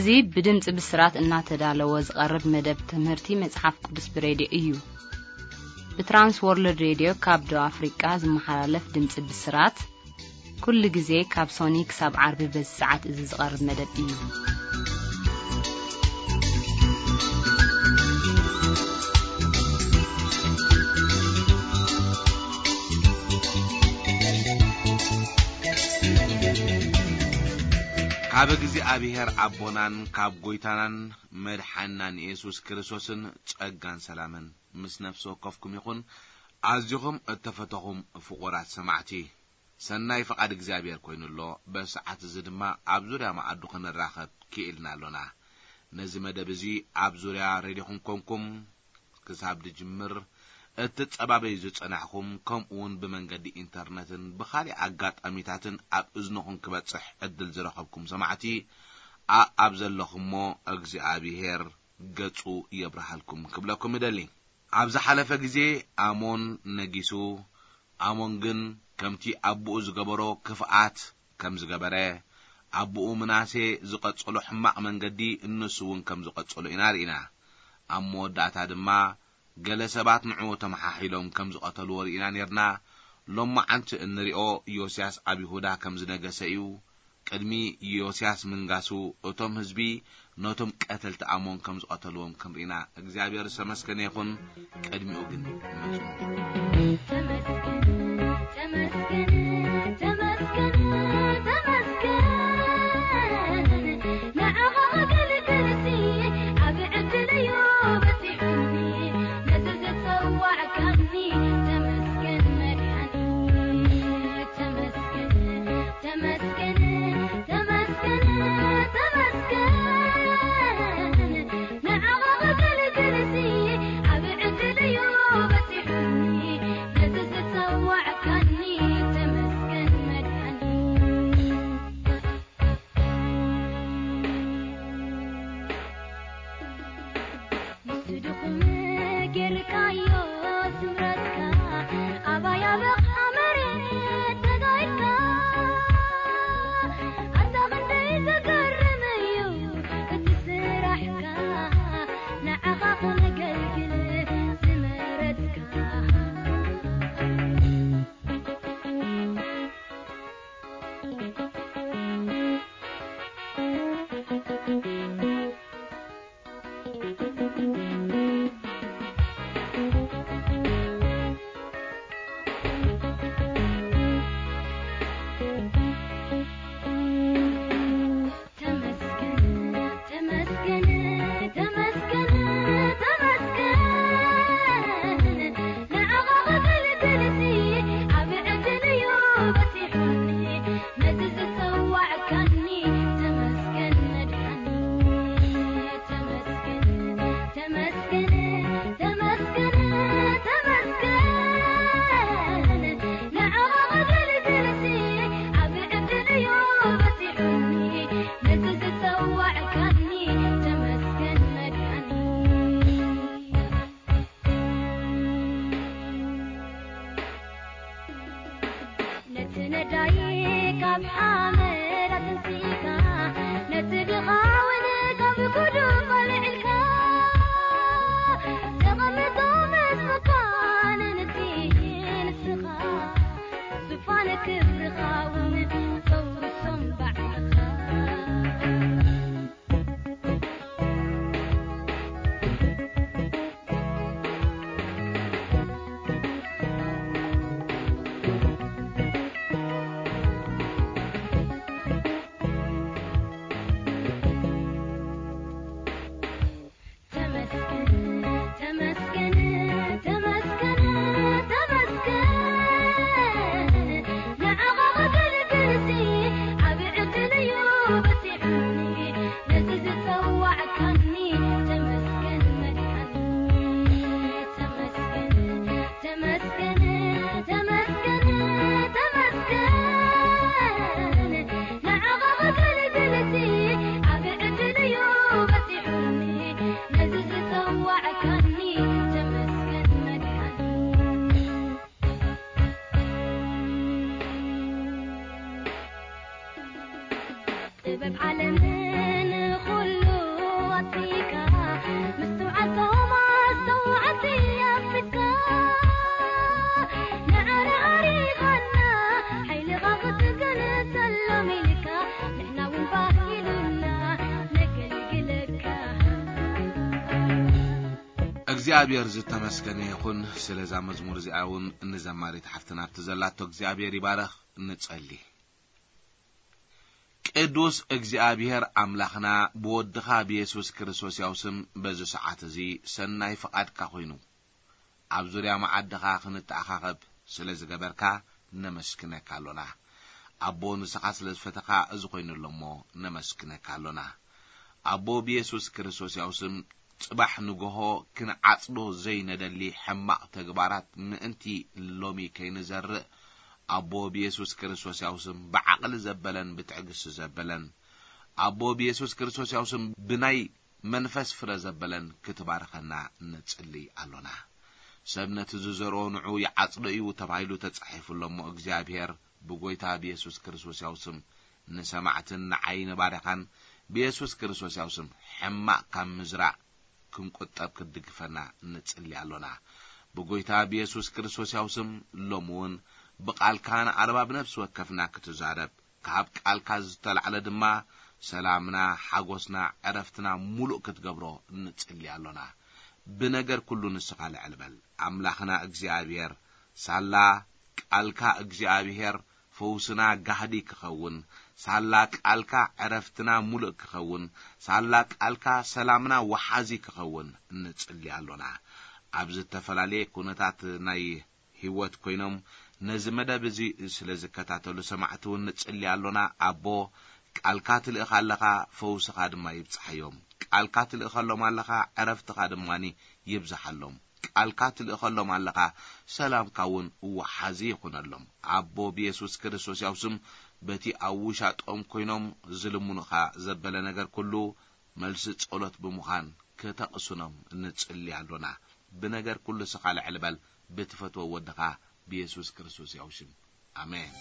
እዚ ብድምጺ ብስራት እናተዳለወ ዝቐርብ መደብ ትምህርቲ መጽሓፍ ቅዱስ ብሬድዮ እዩ። ብትራንስ ወርልድ ሬድዮ ካብ ደቡብ ኣፍሪቃ ዝመሓላለፍ ድምጺ ብስራት፣ ኩሉ ግዜ ካብ ሶኒ ክሳብ ዓርቢ በዚ ሰዓት እዚ ዝቐርብ መደብ እዩ። ካብ እግዚኣብሔር ኣቦናን ካብ ጐይታናን መድሓንናን የሱስ ክርስቶስን ጸጋን ሰላምን ምስ ነፍሲ ወከፍኩም ይኹን። ኣዚኹም እተፈተኹም ፍቑራት ሰማዕቲ፣ ሰናይ ፍቓድ እግዚኣብሔር ኮይኑ ኣሎ። በሰዓት እዚ ድማ ኣብ ዙርያ መኣዱ ክንራኸብ ክኢልና ኣሎና። ነዚ መደብ እዚ ኣብ ዙርያ ሬድዮኹም ኮንኩም ክሳብ ድጅምር እትጸባበዩ ዝጸናሕኩም፣ ከምኡ እውን ብመንገዲ ኢንተርነትን ብኻልእ ኣጋጣሚታትን ኣብ እዝንኹም ክበጽሕ ዕድል ዝረኸብኩም ሰማዕቲ፣ ኣኣብ ዘለኹሞ እግዚኣብሔር ገጹ የብርሃልኩም ክብለኩም እደሊ። ኣብ ዝሓለፈ ግዜ ኣሞን ነጊሱ፣ ኣሞን ግን ከምቲ ኣቦኡ ዝገበሮ ክፍኣት ከም ዝገበረ፣ ኣቦኡ ምናሴ ዝቐጸሎ ሕማቕ መንገዲ ንሱ እውን ከም ዝቐጸሎ ኢና ርኢና። ኣብ መወዳእታ ድማ ገለ ሰባት ንዕኡ ተመሓሒሎም ከም ዝቐተልዎ ርኢና ኔርና። ሎማዓንቲ እንሪኦ ዮስያስ ኣብ ይሁዳ ከም ዝነገሰ እዩ። ቅድሚ ዮስያስ ምንጋሱ እቶም ህዝቢ ነቶም ቀተልቲ ኣሞን ከም ዝቐተልዎም ክንርኢና እግዚኣብሔር ዝተመስገነ ይኹን። ቅድሚኡ ግን መጹ። ተመስገን፣ ተመስገን፣ ተመስገን፣ ተመስገን። ንዓኻ ከገልግልሲ ዓቢ ዕድል እዩ በጺሑኒ። ነዚ ዝጸዋዕካኒ ተመስገን መድሓኒ። ተመስገን፣ ተመስገን፣ ተመስገን፣ ተመስገን። ንዓኻ ከገልግልሲ ዓቢ ዕድል እዩ በጺሑኒ። ነዚ ዝጸዋዕካኒ ተመስገን መድሓኒ። ምስቲ ድኹም ጌርካዮ ስምረትካ፣ ኣባይ ኣብ ኣቕሓ መሬት ተጋይካ። ኣታ ክንደይ ዘገርም እዩ እቲ ስራሕካ፣ ንዓኻ ከነገልግል ዝመረጽካ። ተመስገን፣ ተመስገን፣ ተመስገን፣ ተመስገን። ንዓኻ ከገልግልሲ ዓቢ ዕድል እዩ በጺሑኒ። ነዚ ዝጸዋዕካኒ ተመስገን መድሓኒ። ተመስገን፣ ተመስገን፣ ተመስገን፣ ተመስገን። ንዓኻ ከገልግልሲ ዓቢ ዕድል እዩ በጺሑኒ። ነዚ ዝጸዋዕካኒ ተመስገን መድሓኒ። ነቲ ነዳይ ካብ ሓመድ ኣተንሲእካ፣ ነቲ ድኻ እውን ካብ ጉድፍ ኣልዒልካ፣ ተቐምጦ ምስ መኳንንቲ ንስኻ፣ ዙፋን ክብርኻ እውን ተውርሶም ባዕልኻ። ተመስገን፣ ተመስገን፣ ተመስገን፣ ተመስገን። ንዓኻ ከገልግልሲ ዓቢ ዕድል እዩ በጺሑኒ። ነዚ ዝጸዋዕካኒ ተመስገን መድሓኒ። ተመስገን፣ ተመስገን፣ ተመስገን፣ ተመስገን። ንዓኻ ከገልግልሲ ዓቢ ዕድል እዩ በጺሑኒ። ነዚ ዝጸዋዕካኒ ተመስገን መድሓኒ። ጥበብ ዓለምን ኩሉ እግዚኣብሔር ዝተመስገነ ይኹን። ስለዛ መዝሙር እዚኣ እውን ንዘማሪት ሓፍትና ኣብቲ ዘላቶ እግዚኣብሔር ይባረኽ። ንጸሊ። ቅዱስ እግዚኣብሔር ኣምላኽና፣ ብወድኻ ብየሱስ ክርስቶስ ያው ስም በዚ ሰዓት እዚ ሰናይ ፍቓድካ ኮይኑ፣ ኣብ ዙርያ መዓድኻ ክንተኣኻኸብ ስለ ዝገበርካ ነመስግነካ ኣሎና። ኣቦ፣ ንስኻ ስለ ዝፈተኻ እዚ ኮይኑ ኣሎ እሞ ነመስግነካ ኣሎና። ኣቦ፣ ብየሱስ ክርስቶስ ያው ስም ጽባሕ ንግሆ ክንዓጽዶ ዘይነደሊ ሕማቕ ተግባራት ምእንቲ ሎሚ ከይንዘርእ፣ ኣቦ፣ ብየሱስ ክርስቶስ ያው ስም ብዓቕሊ ዘበለን ብትዕግስቲ ዘበለን፣ ኣቦ፣ ብየሱስ ክርስቶስ ያው ስም ብናይ መንፈስ ፍረ ዘበለን ክትባርኸና ንጽሊ ኣሎና። ሰብ ነቲ ዝዘርኦ ንዑ ይዓጽዶ እዩ ተባሂሉ ተጻሒፉ ኣሎ እሞ፣ እግዚኣብሔር ብጎይታ ብየሱስ ክርስቶስ ያው ስም ንሰማዕትን ንዓይ ንባርኻን፣ ብየሱስ ክርስቶስ ያው ስም ሕማቕ ካብ ምዝራእ ክንቁጠብ ክትድግፈና ንጽሊ ኣሎና። ብጎይታ ብየሱስ ክርስቶስ ያው ስም ሎሚ እውን ብቓልካ ንኣርባብ ነፍሲ ወከፍና ክትዛረብ፣ ካብ ቃልካ ዝተላዕለ ድማ ሰላምና፣ ሓጎስና፣ ዕረፍትና ሙሉእ ክትገብሮ ንጽሊ ኣሎና። ብነገር ኩሉ ንስኻ ልዕል በል። ኣምላኽና እግዚኣብሔር፣ ሳላ ቃልካ እግዚኣብሔር ፈውስና ጋህዲ ክኸውን፣ ሳላ ቃልካ ዕረፍትና ሙሉእ ክኸውን፣ ሳላ ቃልካ ሰላምና ወሓዚ ክኸውን ንጽሊ ኣሎና። ኣብ ዝተፈላለየ ኩነታት ናይ ህይወት ኮይኖም ነዚ መደብ እዚ ስለ ዝከታተሉ ሰማዕቲ እውን ንጽሊ ኣሎና። ኣቦ፣ ቃልካ ትልእኻ ኣለኻ፣ ፈውስኻ ድማ ይብጽሓዮም። ቃልካ ትልእኸሎም ኣለኻ፣ ዕረፍትኻ ድማኒ ይብዝሓሎም። ቃልካ ትልእኸሎም ኣለኻ፣ ሰላምካ እውን ወሓዚ ይኹነሎም። ኣቦ፣ ብየሱስ ክርስቶስ ያው ስም በቲ ኣብ ውሻጦም ኮይኖም ዝልምኑኻ ዘበለ ነገር ኩሉ መልሲ ጸሎት ብምዃን ከተቕስኖም ንጽሊ ኣሎና። ብነገር ኩሉ ስኻ ልዕል በል፣ ብትፈትዎ ወድኻ ብየሱስ ክርስቶስ ያው ሽም። ኣሜን።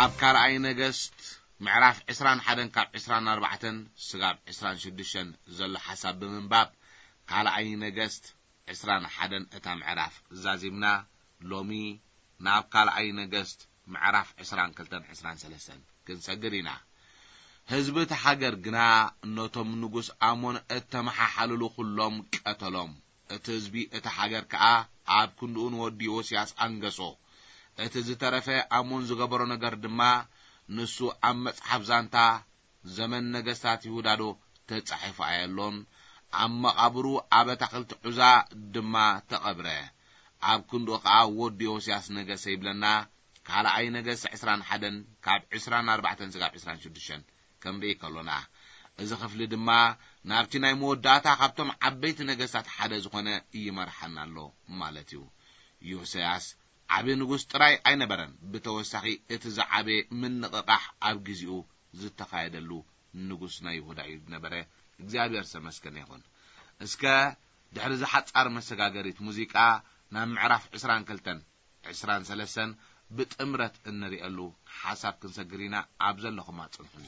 ኣብ ካልኣይ ነገስት ምዕራፍ ዕስራን ሓደን ካብ ዕስራን ኣርባዕተን ስጋብ ዕስራን ሽዱሽተን ዘሎ ሓሳብ ብምንባብ፣ ካልኣይ ነገስት ዕስራን ሓደን እታ ምዕራፍ ዛዚምና፣ ሎሚ ናብ ካልኣይ ነገስት ምዕራፍ ዕስራን ክልተን ዕስራን ሰለስተን ክንሰግር ኢና። ህዝቢ እቲ ሃገር ግና ነቶም ንጉስ ኣሞን እተመሓሓልሉ ኩሎም ቀተሎም። እቲ ህዝቢ እቲ ሃገር ከኣ ኣብ ክንድኡ ንወዲ ዮስያስ ኣንገሶ። እቲ ዝተረፈ ኣሞን ዝገበሮ ነገር ድማ ንሱ ኣብ መጽሓፍ ዛንታ ዘመን ነገስታት ይሁዳ ዶ ተጻሒፉ ኣየሎን? ኣብ መቓብሩ ኣብ ኣታኽልቲ ዑዛ ድማ ተቐብረ። ኣብ ክንድኡ ኸኣ ወዲ ዮስያስ ነገሰ ይብለና። ካልኣይ ነገስት ዕስራን ሓደን ካብ ዕስራን ኣርባዕተን ስጋብ ዕስራን ሽዱሽተን ክንርኢ ከሎና፣ እዚ ክፍሊ ድማ ናብቲ ናይ መወዳእታ ካብቶም ዓበይቲ ነገስታት ሓደ ዝኾነ ይመርሓና ኣሎ ማለት እዩ። ዮስያስ ዓቢ ንጉስ ጥራይ ኣይነበረን። ብተወሳኺ እቲ ዝዓበየ ምንቕቓሕ ኣብ ግዜኡ ዝተኻየደሉ ንጉስ ናይ ይሁዳ እዩ ዝነበረ። እግዚኣብሔር ዝተመስገነ ይኹን። እስከ ድሕሪ እዚ ሓጻር መሰጋገሪት ሙዚቃ ናብ ምዕራፍ ዕስራን ክልተን ዕስራን ሰለስተን ብጥምረት እንርእየሉ ሓሳብ ክንሰግር ኢና። ኣብ ዘለኹም ኣጽንሑኒ።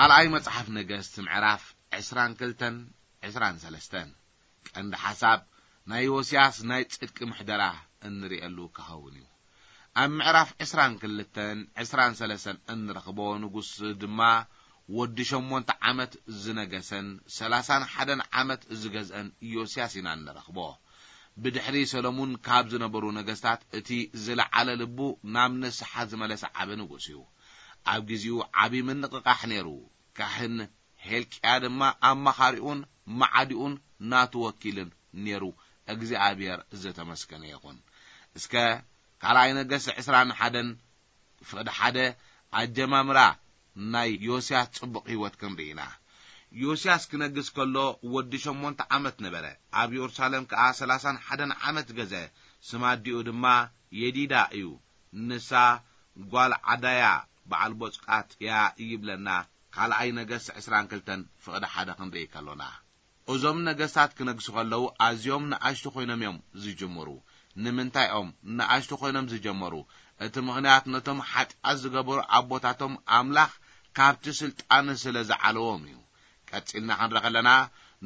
ካልኣይ መጽሓፍ ነገስት ምዕራፍ ዕስራን ክልተን ዕስራን ሰለስተን። ቀንዲ ሓሳብ ናይ ዮስያስ ናይ ጽድቂ ምሕደራ እንርእየሉ ክኸውን እዩ። ኣብ ምዕራፍ ዕስራን ክልተን ዕስራን ሰለስተን እንረኽቦ ንጉስ ድማ ወዲ ሸሞንተ ዓመት ዝነገሰን ሰላሳን ሓደን ዓመት ዝገዝአን ዮስያስ ኢና እንረኽቦ። ብድሕሪ ሰሎሙን ካብ ዝነበሩ ነገስታት እቲ ዝለዓለ ልቡ ናብ ንስሓ ዝመለሰ ዓቢ ንጉስ እዩ። ኣብ ግዜኡ ዓቢ ምንቕቓሕ ነይሩ። ካህን ሄልቅያ ድማ ኣማኻሪኡን መዓዲኡን ናቱ ወኪልን ነይሩ። እግዚኣብሔር ዝተመስገነ ይኹን። እስከ ካልኣይ ነገስት ዕስራን ሓደን ፍቕዲ ሓደ ኣጀማምራ ናይ ዮስያስ ጽቡቕ ህይወት ክንርኢ ኢና። ዮስያስ ክነግስ ከሎ ወዲ ሸሞንተ ዓመት ነበረ። ኣብ የሩሳሌም ከኣ ሠላሳን ሓደን ዓመት ገዘ። ስም ኣዲኡ ድማ የዲዳ እዩ። ንሳ ጓል ዓዳያ በዓል ቦጽቃት እያ ይብለና። ካልኣይ ነገሥት ዕስራን ክልተን ፍቕዲ ሓደ ክንርኢ ከሎና፣ እዞም ነገሥታት ክነግሱ ከለዉ ኣዝዮም ንኣሽቱ ኮይኖም እዮም ዝጅምሩ። ንምንታይ እዮም ንኣሽቱ ኮይኖም ዝጀመሩ? እቲ ምኽንያት ነቶም ሓጢኣት ዝገበሩ ኣቦታቶም ኣምላኽ ካብቲ ስልጣን ስለ ዝዓለዎም እዩ። ቀጺልና ክንረ ከለና፣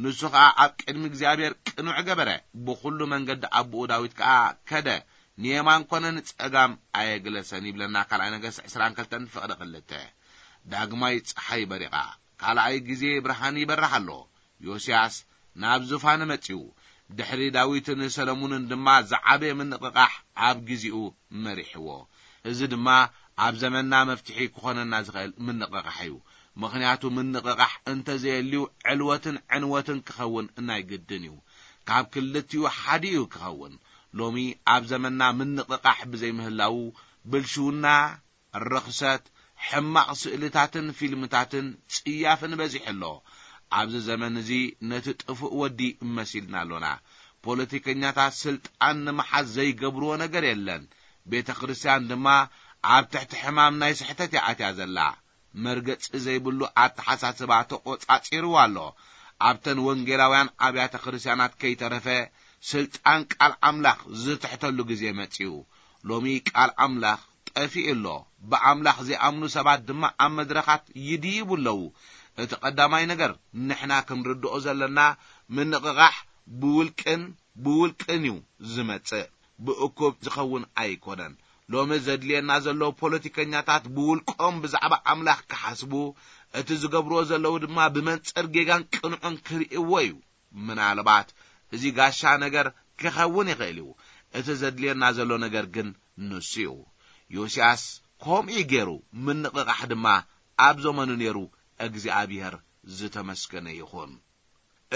ንሱ ኸኣ ኣብ ቅድሚ እግዚኣብሔር ቅኑዕ ገበረ፣ ብኹሉ መንገዲ ኣቦኡ ዳዊት ከኣ ከደ፣ ንየማን ኮነ ንጸጋም ኣየግለሰን ይብለና ካልኣይ ነገሥት ዕስራን ክልተን ፍቕዲ ክልተ። ዳግማይ ጸሓይ በሪቓ፣ ካልኣይ ግዜ ብርሃን ይበርህ ኣሎ። ዮስያስ ናብ ዙፋን መጺኡ፣ ድሕሪ ዳዊትን ሰለሙንን ድማ ዝዓበየ ምንቕቓሕ ኣብ ግዜኡ መሪሕዎ። እዚ ድማ ኣብ ዘመንና መፍትሒ ክኾነና ዝኽእል ምንቕቓሕ እዩ። ምኽንያቱ ምንቕቓሕ እንተዘየልዩ ዕልወትን ዕንወትን ክኸውን ናይ ግድን እዩ። ካብ ክልቲኡ ሓደ እዩ ክኸውን። ሎሚ ኣብ ዘመንና ምንቕቓሕ ብዘይምህላዉ ብልሽውና፣ ርኽሰት፣ ሕማቕ ስእልታትን ፊልምታትን ጽያፍን በዚሑ ኣሎ። ኣብዚ ዘመን እዚ ነቲ ጥፉእ ወዲ መሲልና ኣሎና። ፖለቲከኛታት ስልጣን ንምሓዝ ዘይገብርዎ ነገር የለን። ቤተ ክርስቲያን ድማ ኣብ ትሕቲ ሕማም ናይ ስሕተት እያ ኣትያ ዘላ። መርገጺ ዘይብሉ ኣተሓሳስባ ተቖጻጺርዋ ኣሎ። ኣብተን ወንጌላውያን ኣብያተ ክርስቲያናት ከይተረፈ ስልጣን ቃል ኣምላኽ ዝትሕተሉ ግዜ መጺኡ። ሎሚ ቃል ኣምላኽ ጠፊኡ ኣሎ። ብኣምላኽ ዘይኣምኑ ሰባት ድማ ኣብ መድረኻት ይድይቡ ኣለዉ። እቲ ቀዳማይ ነገር ንሕና ክንርድኦ ዘለና ምንቕቓሕ ብውልቅን ብውልቅን እዩ ዝመጽእ። ብእኩብ ዝኸውን ኣይኮነን። ሎሚ ዘድልየና ዘሎ ፖለቲከኛታት ብውልቆም ብዛዕባ ኣምላኽ ክሓስቡ፣ እቲ ዝገብርዎ ዘለዉ ድማ ብመንጽር ጌጋን ቅንዑን ክርእይዎ እዩ። ምናልባት እዚ ጋሻ ነገር ክኸውን ይኽእል እዩ። እቲ ዘድልየና ዘሎ ነገር ግን ንሱ እዩ። ዮስያስ ከምኡ ገይሩ፣ ምንቕቓሕ ድማ ኣብ ዘመኑ ነይሩ። እግዚኣብሔር ዝተመስገነ ይኹን።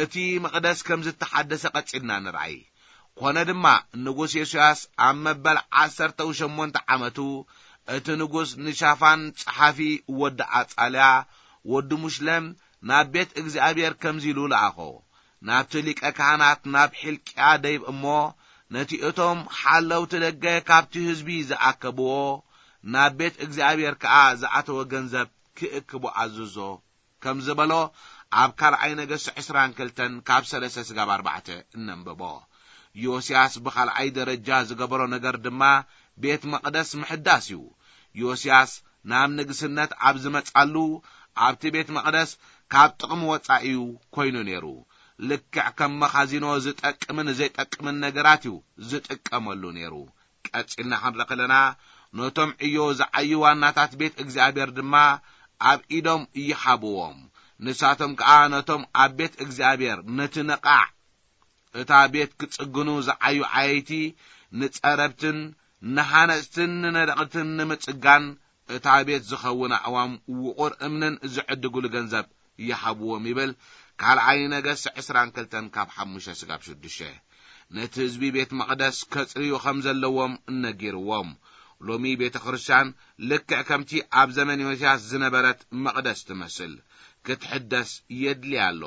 እቲ መቕደስ ከም ዝተሓደሰ ቀጺልና ንርኣይ። ኮነ ድማ ንጉስ ዮስያስ ኣብ መበል ዓሰርተ ሸሞንተ ዓመቱ እቲ ንጉስ ንሻፋን ጸሓፊ ወዲ ኣጻልያ ወዲ ሙሽለም ናብ ቤት እግዚኣብሔር ከምዚ ኢሉ ለኣኾ። ናብቲ ሊቀ ካህናት ናብ ሒልቅያ ደይብ እሞ ነቲ እቶም ሓለውቲ ደገ ካብቲ ህዝቢ ዝኣከብዎ ናብ ቤት እግዚኣብሔር ከኣ ዝኣተወ ገንዘብ ክእክቦ ኣዝዞ። ከም ዝበሎ ኣብ ካልኣይ ነገሥት ዕስራን ክልተን ካብ ሰለስተ ስጋብ ኣርባዕተ እነንብቦ። ዮስያስ ብኻልኣይ ደረጃ ዝገበሮ ነገር ድማ ቤት መቕደስ ምሕዳስ እዩ። ዮስያስ ናብ ንግስነት ኣብ ዝመጻሉ ኣብቲ ቤት መቕደስ ካብ ጥቕሚ ወጻኢ እዩ ኮይኑ ነይሩ። ልክዕ ከም መኻዚኖ ዝጠቅምን ዘይጠቅምን ነገራት እዩ ዝጥቀመሉ ነይሩ። ቀጺልና ክንርኢ ከለና ነቶም ዕዮ ዝዓዩ ዋናታት ቤት እግዚኣብሔር ድማ ኣብ ኢዶም ይሃብዎም። ንሳቶም ከኣ ነቶም ኣብ ቤት እግዚኣብሔር ነቲ ነቓዕ እታ ቤት ክጽግኑ ዝዓዩ ዓየይቲ ንጸረብትን ንሃነጽትን ንነደቕትን ንምጽጋን እታ ቤት ዝኸውን ኣእዋም ውቑር እምንን ዝዕድግሉ ገንዘብ ይሃብዎም ይብል። ካልኣይ ነገስ ዕስራን ክልተን ካብ ሓሙሽተ ስጋብ ሽዱሽተ። ነቲ ህዝቢ ቤት መቕደስ ከጽርዩ ከም ዘለዎም ነጊርዎም። ሎሚ ቤተ ክርስቲያን ልክዕ ከምቲ ኣብ ዘመን ዮስያስ ዝነበረት መቕደስ ትመስል ክትሕደስ የድልያ ኣሎ።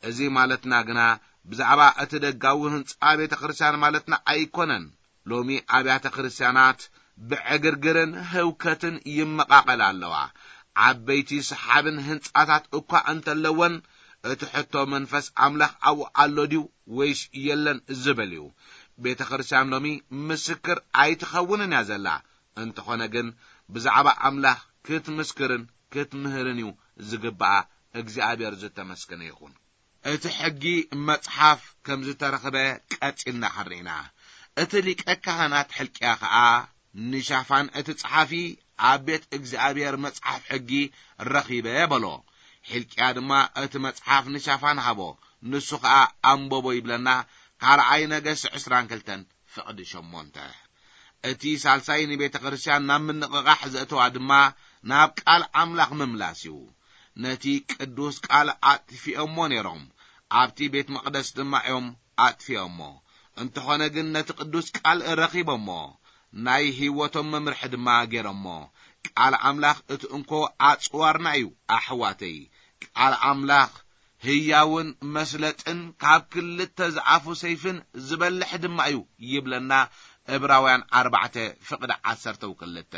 እዚ ማለትና ግና ብዛዕባ እቲ ደጋዊ ህንጻ ቤተ ክርስቲያን ማለትና ኣይኮነን። ሎሚ ኣብያተ ክርስቲያናት ብዕግርግርን ህውከትን ይመቓቐላ ኣለዋ። ዓበይቲ ሰሓብን ህንጻታት እኳ እንተለወን እቲ ሕቶ መንፈስ ኣምላኽ ኣብኡ ኣሎ ድዩ ወይስ የለን ዝብል እዩ። ቤተ ክርስቲያን ሎሚ ምስክር ኣይትኸውንን እያ ዘላ። እንተኾነ ግን ብዛዕባ ኣምላኽ ክትምስክርን ክትምህርን እዩ ዝግብኣ። እግዚኣብሔር ዝተመስገነ ይኹን። እቲ ሕጊ መጽሓፍ ከም ዝተረኽበ ቀጺልና ክንርኢና። እቲ ሊቀ ካህናት ሕልቅያ ኸኣ ንሻፋን እቲ ጸሓፊ ኣብ ቤት እግዚኣብሔር መጽሓፍ ሕጊ ረኺበ በሎ። ሕልቅያ ድማ እቲ መጽሓፍ ንሻፋን ሃቦ፣ ንሱ ኸኣ ኣንበቦ ይብለና። ካልኣይ ነገስ ዕስራን ክልተን ፍቕዲ ሸሞንተ። እቲ ሳልሳይ ንቤተ ክርስቲያን ናብ ምንቕቓሕ ዘእተዋ ድማ ናብ ቃል ኣምላኽ ምምላስ እዩ። ነቲ ቅዱስ ቃል ኣጥፊኦሞ ነይሮም፣ ኣብቲ ቤት መቕደስ ድማ እዮም ኣጥፊኦሞ። እንተኾነ ግን ነቲ ቅዱስ ቃል ረኺቦሞ፣ ናይ ህይወቶም መምርሒ ድማ ገይሮሞ። ቃል ኣምላኽ እቲ እንኮ ኣጽዋርና እዩ ኣሕዋተይ። ቃል ኣምላኽ ህያውን መስለጥን ካብ ክልተ ዝኣፉ ሰይፍን ዝበልሕ ድማ እዩ ይብለና። ዕብራውያን ኣርባዕተ ፍቕዲ ዓሰርተ ክልተ።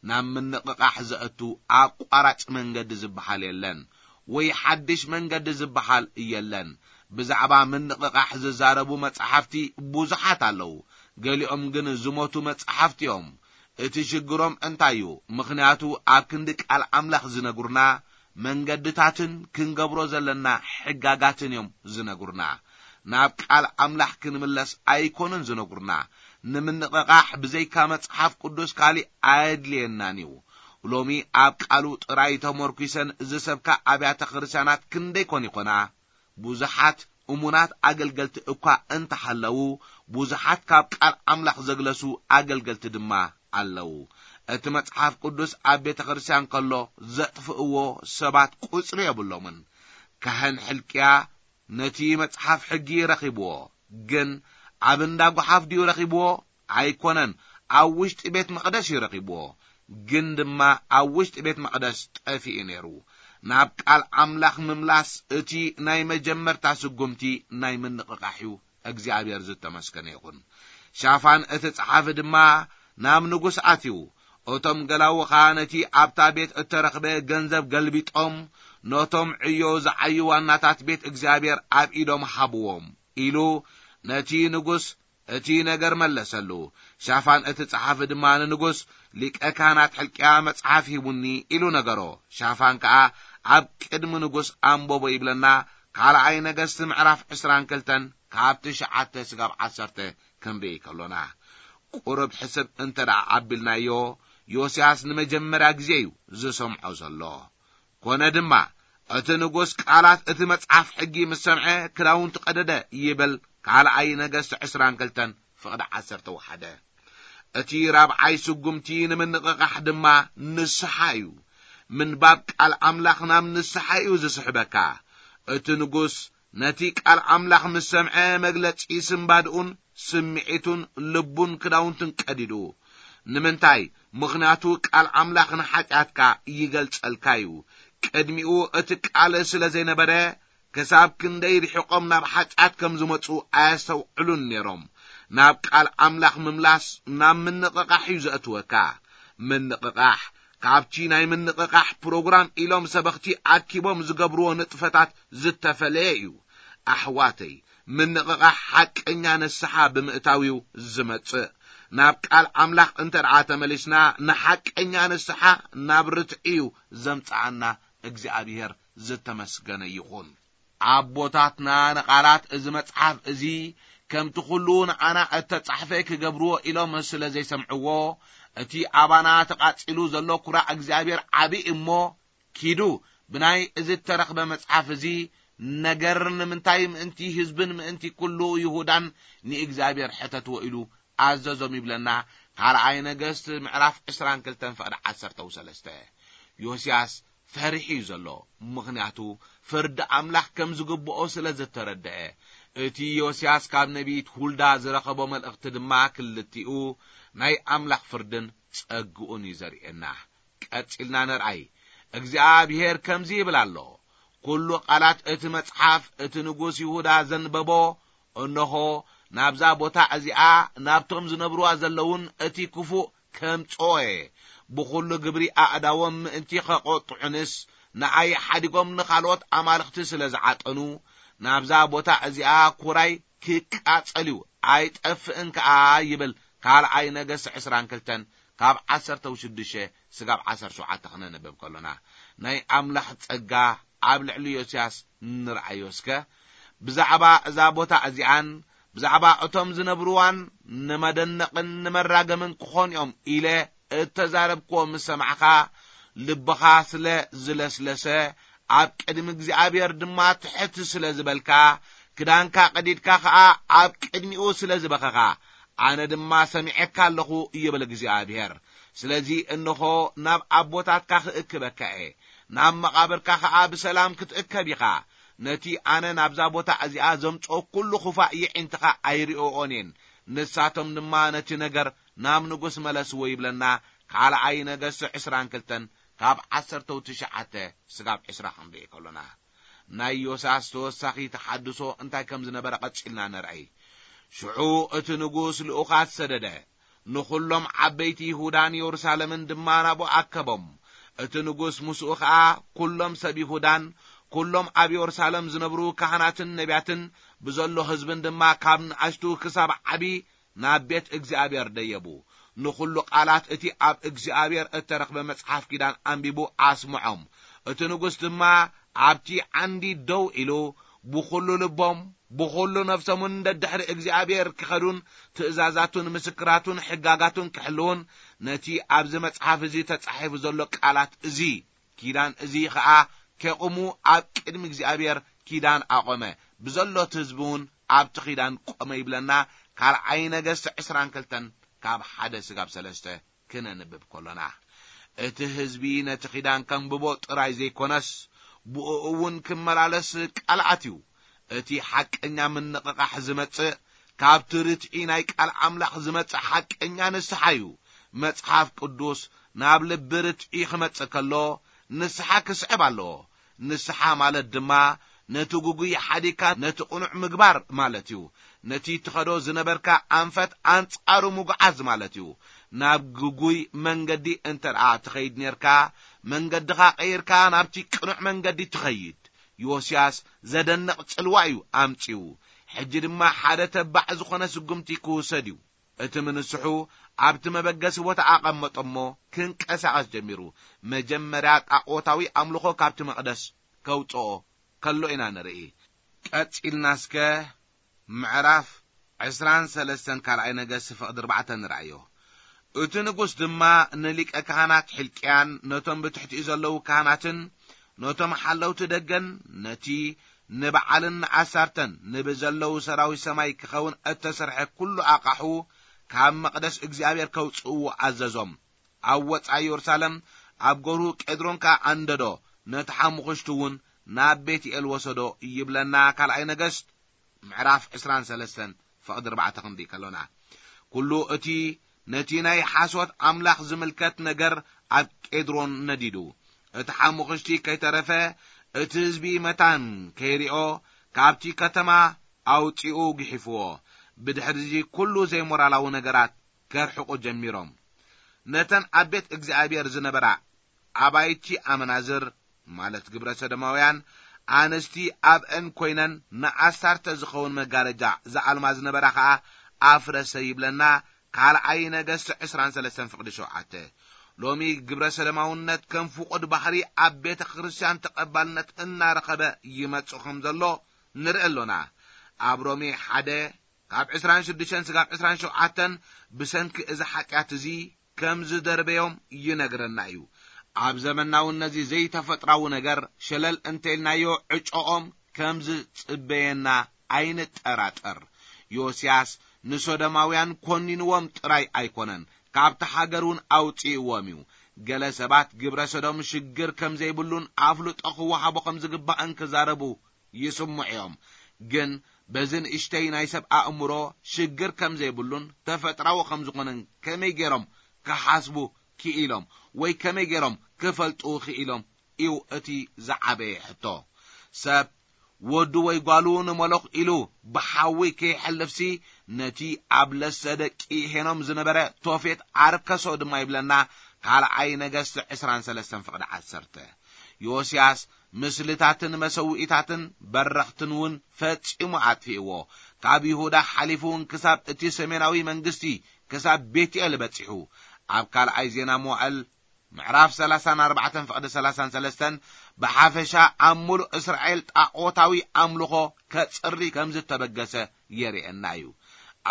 ናብ ምንቕቓሕ ዘእቱ ኣቋራጭ መንገዲ ዝበሃል የለን፣ ወይ ሓድሽ መንገዲ ዝበሃል የለን። ብዛዕባ ምንቕቓሕ ዝዛረቡ መጻሕፍቲ ብዙሓት ኣለዉ። ገሊኦም ግን ዝሞቱ መጻሕፍቲ እዮም። እቲ ሽግሮም እንታይ እዩ? ምኽንያቱ ኣብ ክንዲ ቃል ኣምላኽ ዝነግሩና መንገድታትን ክንገብሮ ዘለና ሕጋጋትን እዮም ዝነግሩና። ናብ ቃል ኣምላኽ ክንምለስ ኣይኮኑን ዝነግሩና። ንምንቕቓሕ ብዘይካ መጽሓፍ ቅዱስ ካሊእ ኣየድልየናን እዩ። ሎሚ ኣብ ቃሉ ጥራይ ተመርኲሰን ዝሰብካ ኣብያተ ክርስቲያናት ክንደይ ኮን ይኾና? ብዙሓት እሙናት ኣገልገልቲ እኳ እንተሃለዉ፣ ብዙሓት ካብ ቃል ኣምላኽ ዘግለሱ ኣገልገልቲ ድማ ኣለዉ። እቲ መጽሓፍ ቅዱስ ኣብ ቤተ ክርስቲያን ከሎ ዘጥፍእዎ ሰባት ቁጽሪ የብሎምን። ካህን ሕልቅያ ነቲ መጽሓፍ ሕጊ ረኺብዎ፣ ግን ኣብ እንዳ ጓሓፍ ድዩ ረኺብዎ? ኣይኮነን፣ ኣብ ውሽጢ ቤት መቕደስ እዩ ረኺብዎ። ግን ድማ ኣብ ውሽጢ ቤት መቕደስ ጠፊኡ ነይሩ። ናብ ቃል ኣምላኽ ምምላስ እቲ ናይ መጀመርታ ስጉምቲ ናይ ምንቕቓሕ እዩ። እግዚኣብሔር ዝተመስገነ ይኹን። ሻፋን እቲ ጸሓፊ ድማ ናብ ንጉስ ኣትዩ። እቶም ገላዉ ኸኣ ነቲ ኣብታ ቤት እተረኽበ ገንዘብ ገልቢጦም፣ ነቶም ዕዮ ዝዓዩ ዋናታት ቤት እግዚኣብሔር ኣብ ኢዶም ሃብዎም፣ ኢሉ ነቲ ንጉስ እቲ ነገር መለሰሉ። ሻፋን እቲ ጸሓፊ ድማ ንንጉስ፣ ሊቀ ካህናት ሕልቅያ መጽሓፍ ሂቡኒ፣ ኢሉ ነገሮ። ሻፋን ከኣ ኣብ ቅድሚ ንጉስ ኣንበቦ ይብለና። ካልኣይ ነገስቲ ምዕራፍ ዕስራን ክልተን ካብ ትሽዓተ ስጋብ ዓሰርተ ክንርኢ ከሎና። ቁሩብ ሕስብ እንተ ደኣ ኣቢልናዮ፣ ዮስያስ ንመጀመርያ ግዜ እዩ ዝሰምዖ ዘሎ። ኮነ ድማ፣ እቲ ንጉስ ቃላት እቲ መጽሓፍ ሕጊ ምስ ሰምዐ፣ ክዳውንቱ ቀደደ ይብል። ካልኣይ ነገስቲ ዕስራን ክልተን ፍቕዲ ዓሰርተ ሓደ። እቲ ራብዓይ ስጉምቲ ንምንቕቓሕ ድማ ንስሓ እዩ። ምንባብ ቃል ኣምላኽ ናብ ንስሓ እዩ ዝስሕበካ። እቲ ንጉስ ነቲ ቃል ኣምላኽ ምስ ሰምዐ፣ መግለጺ ስንባድኡን ስምዒቱን ልቡን ክዳውንቱን ቀዲዱ። ንምንታይ? ምኽንያቱ ቃል ኣምላኽ ንሓጢኣትካ ይገልጸልካ እዩ። ቅድሚኡ እቲ ቃል ስለ ዘይነበረ፣ ክሳብ ክንደይ ርሒቖም ናብ ሓጢኣት ከም ዝመጹ ኣየስተውዕሉን ነይሮም። ናብ ቃል ኣምላኽ ምምላስ ናብ ምንቕቓሕ እዩ ዘእትወካ። ምንቕቓሕ ካብቲ ናይ ምንቕቓሕ ፕሮግራም ኢሎም ሰበኽቲ ኣኪቦም ዝገብርዎ ንጥፈታት ዝተፈለየ እዩ። ኣሕዋተይ፣ ምንቕቓሕ ሓቀኛ ንስሓ ብምእታው እዩ ዝመጽእ። ናብ ቃል ኣምላኽ እንተ ደኣ ተመሊስና፣ ንሓቀኛ ንስሓ ናብ ርትዒ እዩ ዘምጽኣና። እግዚኣብሔር ዝተመስገነ ይኹን። ኣቦታትና ንቓላት እዚ መጽሓፍ እዚ ከምቲ ኩሉ ንዓና እተጻሕፈ ክገብርዎ ኢሎም ስለ ዘይሰምዕዎ፣ እቲ ኣባና ተቓጺሉ ዘሎ ኩራ እግዚኣብሔር ዓቢ እሞ፣ ኪዱ ብናይ እዚ እተረኽበ መጽሓፍ እዚ ነገር ንምንታይ ምእንቲ ህዝብን ምእንቲ ኩሉ ይሁዳን ንእግዚኣብሔር ሕተትዎ ኢሉ ኣዘዞም ይብለና። ካልኣይ ነገስት ምዕራፍ ዕስራን ክልተን ፍቕዲ ዓሰርተ ሰለስተ። ዮስያስ ፈሪሑ እዩ ዘሎ፣ ምኽንያቱ ፍርዲ ኣምላኽ ከም ዝግብኦ ስለ ዝተረድአ። እቲ ዮስያስ ካብ ነቢይት ሁልዳ ዝረኸቦ መልእኽቲ ድማ ክልቲኡ ናይ ኣምላኽ ፍርድን ጸግኡን እዩ ዘርእየና። ቀጺልና ንርኣይ። እግዚኣብሔር ከምዚ ይብል ኣሎ፣ ኩሉ ቃላት እቲ መጽሓፍ እቲ ንጉስ ይሁዳ ዘንበቦ፣ እንሆ፣ ናብዛ ቦታ እዚኣ፣ ናብቶም ዝነብርዋ ዘለውን እቲ ክፉእ ከምጽኦ እየ። ብኹሉ ግብሪ ኣእዳዎም ምእንቲ ኸቖጥዑንስ፣ ንኣይ ሓዲጎም ንኻልኦት ኣማልኽቲ ስለ ዝዓጠኑ፣ ናብዛ ቦታ እዚኣ ኩራይ ክቃጸል እዩ፣ ኣይጠፍእን ከኣ ይብል። ካልኣይ ነገስት ዕስራን ክልተን ካብ ዓሰርተ ሽዱሽተ ስጋብ ዓሰርተ ሸውዓተ ክነንብብ ከሎና፣ ናይ ኣምላኽ ጸጋ ኣብ ልዕሊ ዮስያስ ንርኣዮ እስከ። ብዛዕባ እዛ ቦታ እዚኣን ብዛዕባ እቶም ዝነብርዋን ንመደነቕን ንመራገምን ክኾኑ እዮም ኢለ እተዛረብክዎ ምስ ሰማዕኻ፣ ልብኻ ስለ ዝለስለሰ፣ ኣብ ቅድሚ እግዚኣብሔር ድማ ትሕት ስለ ዝበልካ፣ ክዳንካ ቀዲድካ ኸኣ ኣብ ቅድሚኡ ስለ ዝበኸኻ፣ ኣነ ድማ ሰሚዐካ ኣለኹ ይብል እግዚኣብሔር። ስለዚ እንሆ፣ ናብ ኣቦታትካ ክእክበካ እየ፣ ናብ መቓብርካ ኸኣ ብሰላም ክትእከብ ኢኻ። ነቲ ኣነ ናብዛ ቦታ እዚኣ ዘምጽኦ ኩሉ ኽፋእ የዒንትኻ ኣይርእኦን እየን። ንሳቶም ድማ ነቲ ነገር ናብ ንጉስ መለስዎ ይብለና። ካልኣይ ነገስት ዕስራን ክልተን ካብ ዓሰርተው ትሽዓተ ስጋብ ዕስራ ክንርኢ ከሎና፣ ናይ ዮስያስ ተወሳኺ ተሓድሶ እንታይ ከም ዝነበረ ቀጺልና ንርኣይ። ሽዑ እቲ ንጉስ ልኡኻት ሰደደ። ንኹሎም ዓበይቲ ይሁዳን የሩሳሌምን ድማ ናብኡ ኣከቦም። እቲ ንጉስ ምስኡ ኸኣ ኩሎም ሰብ ይሁዳን ኩሎም ኣብ የሩሳሌም ዝነብሩ ካህናትን ነቢያትን ብዘሎ ህዝብን ድማ ካብ ንኣሽቱ ክሳብ ዓቢ ናብ ቤት እግዚኣብሔር ደየቡ። ንኹሉ ቃላት እቲ ኣብ እግዚኣብሔር እተረኽበ መጽሓፍ ኪዳን ኣንቢቡ ኣስምዖም። እቲ ንጉስ ድማ ኣብቲ ዓንዲ ደው ኢሉ ብኹሉ ልቦም ብኹሉ ነፍሶምን ደድሕሪ እግዚኣብሔር ክኸዱን ትእዛዛቱን ምስክራቱን ሕጋጋቱን ክሕልውን ነቲ ኣብዚ መጽሓፍ እዚ ተጻሒፉ ዘሎ ቃላት እዚ ኪዳን እዚ ኸኣ ከቑሙ ኣብ ቅድሚ እግዚኣብሔር ኪዳን ኣቖመ። ብዘሎት ህዝቢ እውን ኣብቲ ኪዳን ቆመ ይብለና። ካልኣይ ነገስት ዕስራን ክልተን ካብ ሓደ ስጋብ ሰለስተ ክነንብብ ከሎና፣ እቲ ህዝቢ ነቲ ኪዳን ከንብቦ ጥራይ ዘይኮነስ፣ ብኡ እውን ክመላለስ ቃል ኣትዩ። እቲ ሓቀኛ ምንቕቓሕ ዝመጽእ ካብቲ ርትዒ ናይ ቃል ኣምላኽ ዝመጽእ ሓቀኛ ንስሓ እዩ። መጽሓፍ ቅዱስ ናብ ልቢ ርትዒ ክመጽእ ከሎ፣ ንስሓ ክስዕብ ኣለዎ። ንስሓ ማለት ድማ ነቲ ግጉይ ሓዲግካ ነቲ ቅኑዕ ምግባር ማለት እዩ። ነቲ ትኸዶ ዝነበርካ ኣንፈት ኣንጻሩ ምጉዓዝ ማለት እዩ። ናብ ግጉይ መንገዲ እንተ ደኣ ትኸይድ ኔርካ፣ መንገድኻ ቀይርካ ናብቲ ቅኑዕ መንገዲ ትኸይድ። ዮስያስ ዘደንቕ ጽልዋ እዩ ኣምጺኡ። ሕጂ ድማ ሓደ ተባዕ ዝኾነ ስጉምቲ ክውሰድ እዩ። እቲ ምንስሑ ኣብቲ መበገሲ ቦታ ኣቐመጦ እሞ ክንቀሳቐስ ጀሚሩ። መጀመርያ ጣዖታዊ ኣምልኾ ካብቲ መቕደስ ከውጽኦ ከሎ ኢና ንርኢ። ቀጺልና እስከ ምዕራፍ ዕስራን ሰለስተን ካልኣይ ነገስት ፍቕዲ ኣርባዕተ ንርኣዮ። እቲ ንጉስ ድማ ንሊቀ ካህናት ሕልቅያን ነቶም ብትሕቲኡ ዘለዉ ካህናትን ነቶም ሓለውቲ ደገን ነቲ ንበዓልን ንኣሳርተን ንብዘለዉ ሰራዊት ሰማይ ክኸውን እተሰርሐ ኩሉ ኣቓሑ ካብ መቕደስ እግዚኣብሔር ከውጽእዎ ኣዘዞም። ኣብ ወጻኢ የሩሳሌም ኣብ ገርሁ ቄድሮን ከኣ ኣንደዶ፣ ነቲ ሓሙኽሽቲ እውን ናብ ቤትኤል ወሰዶ ይብለና ካልኣይ ነገስት ምዕራፍ ዕስራን ሰለስተን ፍቕዲ ኣርባዕተ ክንርኢ ከሎና። ኩሉ እቲ ነቲ ናይ ሓሶት ኣምላኽ ዝምልከት ነገር ኣብ ቄድሮን ነዲዱ። እቲ ሓሙኽሽቲ ከይተረፈ እቲ ህዝቢ መታን ከይሪኦ ካብቲ ከተማ ኣውጺኡ ግሒፍዎ። ብድሕሪዚ ኩሉ ዘይሞራላዊ ነገራት ከርሕቑ ጀሚሮም። ነተን ኣብ ቤት እግዚኣብሔር ዝነበራ ኣባይቲ ኣመናዝር፣ ማለት ግብረ ሰዶማውያን ኣንስቲ ኣብአን ኮይነን ንኣሳርተ ዝኸውን መጋረጃ ዝኣልማ ዝነበራ ኸኣ ኣፍረሰ ይብለና ካልኣይ ነገስት ዕስራን ሰለስተን ፍቕዲ ሸውዓተ። ሎሚ ግብረ ሰዶማውነት ከም ፍቑድ ባህሪ ኣብ ቤተ ክርስቲያን ተቐባልነት እናረኸበ ይመጽእ ከም ዘሎ ንርኢ ኣሎና። ኣብ ሮሜ ሓደ ካብ ዕስራን ሽዱሽተን ስጋብ ዕስራን ሸውዓተን ብሰንኪ እዚ ሓጢኣት እዚ ከም ዝደርበዮም ይነግረና እዩ። ኣብ ዘመናዊ ነዚ ዘይተፈጥራዊ ነገር ሸለል እንተኢልናዮ ዕጮኦም ከም ዝጽበየና ኣይንጠራጠር። ዮስያስ ንሶዶማውያን ኮኒንዎም ጥራይ ኣይኮነን፣ ካብቲ ሃገር እውን ኣውጽእዎም እዩ። ገለ ሰባት ግብረ ሰዶም ሽግር ከም ዘይብሉን ኣፍልጦ ክወሃቦ ከም ዝግባእን ክዛረቡ ይስምዑ እዮም። ግን በዚ ንእሽተይ ናይ ሰብ ኣእምሮ ሽግር ከም ዘይብሉን ተፈጥራዊ ከም ዝኾነን ከመይ ገይሮም ክሓስቡ ክኢሎም ወይ ከመይ ገይሮም ክፈልጡ ክኢሎም እዩ እቲ ዝዓበየ ሕቶ። ሰብ ወዱ ወይ ጓሉ ንመለኽ ኢሉ ብሓዊ ከይሐልፍሲ ነቲ ኣብ ለሰ ደቂ ሄኖም ዝነበረ ቶፌት ኣርከሶ ድማ ይብለና ካልኣይ ነገስት ዕስራን ሰለስተን ፍቕዲ ዓሰርተ። ዮስያስ ምስልታትን መሰውኢታትን በረኽትን እውን ፈጺሙ ኣጥፊእዎ። ካብ ይሁዳ ሓሊፉ እውን ክሳብ እቲ ሰሜናዊ መንግስቲ ክሳብ ቤትኤል በጺሑ። ኣብ ካልኣይ ዜና መዋእል ምዕራፍ ሰላሳን ኣርባዕተን ፍቕዲ ሰላሳን ሰለስተን ብሓፈሻ ኣብ ምሉእ እስራኤል ጣዖታዊ ኣምልኾ ከጽሪ ከም ዝተበገሰ የርእየና እዩ።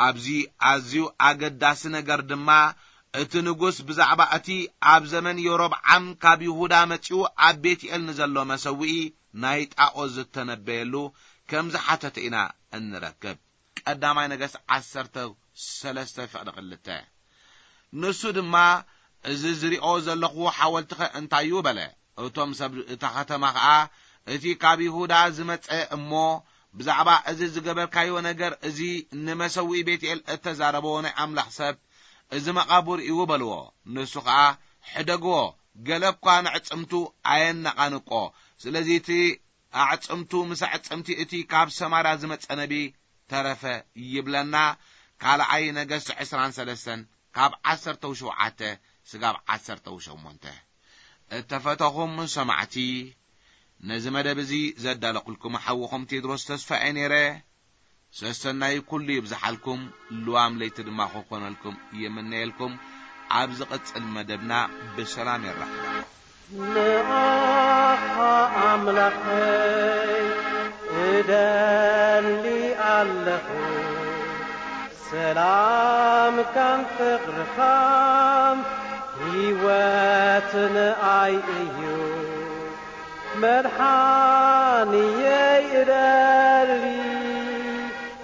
ኣብዚ ኣዝዩ ኣገዳሲ ነገር ድማ እቲ ንጉስ ብዛዕባ እቲ ኣብ ዘመን የሮብዓም ካብ ይሁዳ መጺኡ ኣብ ቤትኤል ንዘሎ መሰውኢ ናይ ጣዖት ዝተነበየሉ ከም ዝሓተተ ኢና እንረክብ። ቀዳማይ ነገስት ዓሰርተ ሰለስተ ፍቕዲ ክልተ። ንሱ ድማ፣ "እዚ ዝሪኦ ዘለኹ ሓወልትኸ እንታይ እዩ?" በለ። እቶም ሰብ እታ ከተማ ኸኣ፣ "እቲ ካብ ይሁዳ ዝመጸ እሞ ብዛዕባ እዚ ዝገበርካዮ ነገር እዚ ንመሰውኢ ቤትኤል እተዛረቦ ናይ ኣምላኽ ሰብ እዚ መቓብር እዩ" በልዎ። ንሱ ኸኣ፣ "ሕደግዎ፣ ገለ እኳ ንዕጽምቱ ኣየነቓንቆ፣ ስለዚ እቲ ኣዕጽምቱ ምስ ኣዕጽምቲ እቲ ካብ ሰማርያ ዝመጸ ነቢ ተረፈ ይብለና። ካልኣይ ነገስት ዕስራን ሰለስተን ካብ ዓሰርተው ሸውዓተ ስጋብ ዓሰርተው ሸሞንተ። እተፈተኹም ሰማዕቲ፣ ነዚ መደብ እዚ ዘዳለኹልኩም ሓውኹም ቴድሮስ ተስፋ እየ ነይረ። ሰሰናይ ኩሉ ይብዝሓልኩም፣ ልዋም ለይቲ ድማ ክኾነልኩም ይምነየልኩም። ኣብ ዝቕጽል መደብና ብሰላም የራኽበና። ንኣኻ ኣምላኸይ እደሊ ኣለኹ፣ ሰላምካን ፍቕርኻን ህይወት ንኣይ እዩ። መድሓንየይ እደሊ፣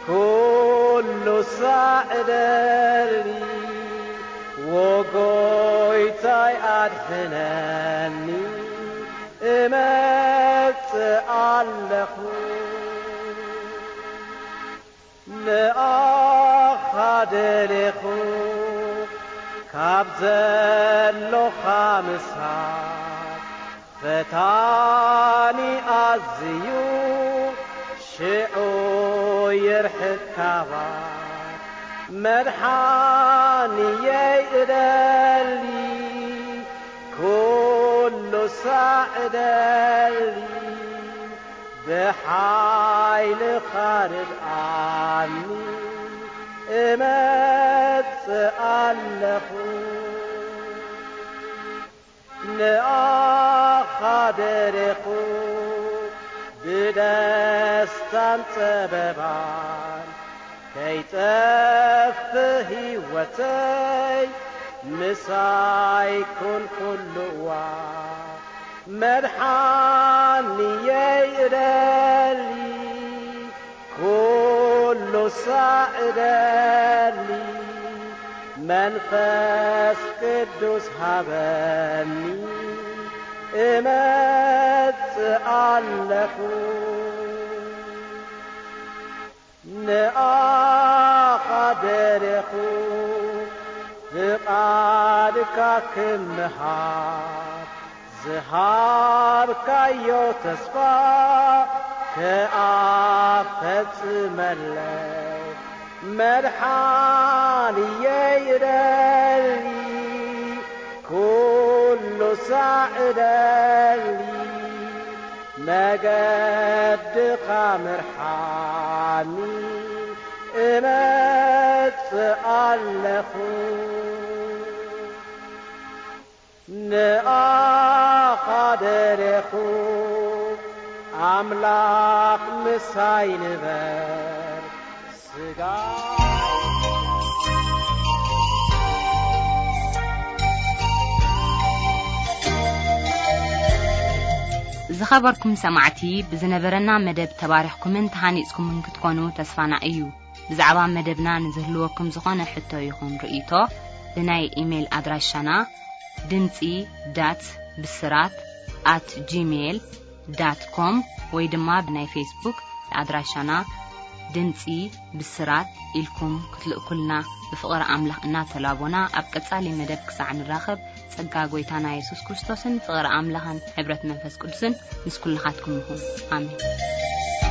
ኩሉ ሳዕ እደሊ፣ ወጎይታይ ኣድሕነኒ፣ እመጽእ ኣለኹ። ንኣኻ ደሌኹ፣ ካብ ዘሎኻ ምሳት፣ ፈታኒ ኣዝዩ ሽዑ ይርሕቅ ካባይ። መድሓንየይ እደሊ፣ ኩሉ ሳዕ እደሊ፣ ብሓይልኻ ርድኣኒ፣ እመጽእ ኣለኹ። ንኣኻ ደሬኹ ብደስታን ጸበባን፣ ከይጠፍእ ህይወተይ ምሳይ ኩን ኩሉ እዋን። መድሓንየይ እደሊ፣ ኩሉ ሳዕ እደሊ፣ መንፈስ ቅዱስ ሃበኒ፣ እመጽእ ኣለኹ። ንኣኻ ደሬኹ ፍቓድካ ክምሃር፣ ዝሃብካዮ ተስፋ ክኣ ፈጽመለይ። መድሓንየይ እደሊ፣ ኩሉ ሳዕ እደሊ፣ መገድኻ ምርሓኒ፣ እመጽእ ኣለኹ። ንኣኻ ደሬኹ ኣምላኽ ምሳይ ንበር። ስጋ ዝኸበርኩም ሰማዕቲ፣ ብዝነበረና መደብ ተባሪኽኩምን ተሃኒጽኩምን ክትኮኑ ተስፋና እዩ። ብዛዕባ መደብና ንዝህልወኩም ዝኾነ ሕቶ ይኹን ርእይቶ፣ ብናይ ኢሜይል ኣድራሻና ድምጺ ዳት ብስራት ኣት ጂሜይል ዳት ኮም ወይ ድማ ብናይ ፌስቡክ ኣድራሻና ድምጺ ብስራት ኢልኩም ክትልእኩልና ብፍቕሪ ኣምላኽ እናተላቦና፣ ኣብ ቀጻሊ መደብ ክሳዕ ንራኸብ፣ ጸጋ ጐይታና የሱስ ክርስቶስን ፍቕሪ ኣምላኽን ሕብረት መንፈስ ቅዱስን ምስ ኩልኻትኩም ይኹን። ኣሜን።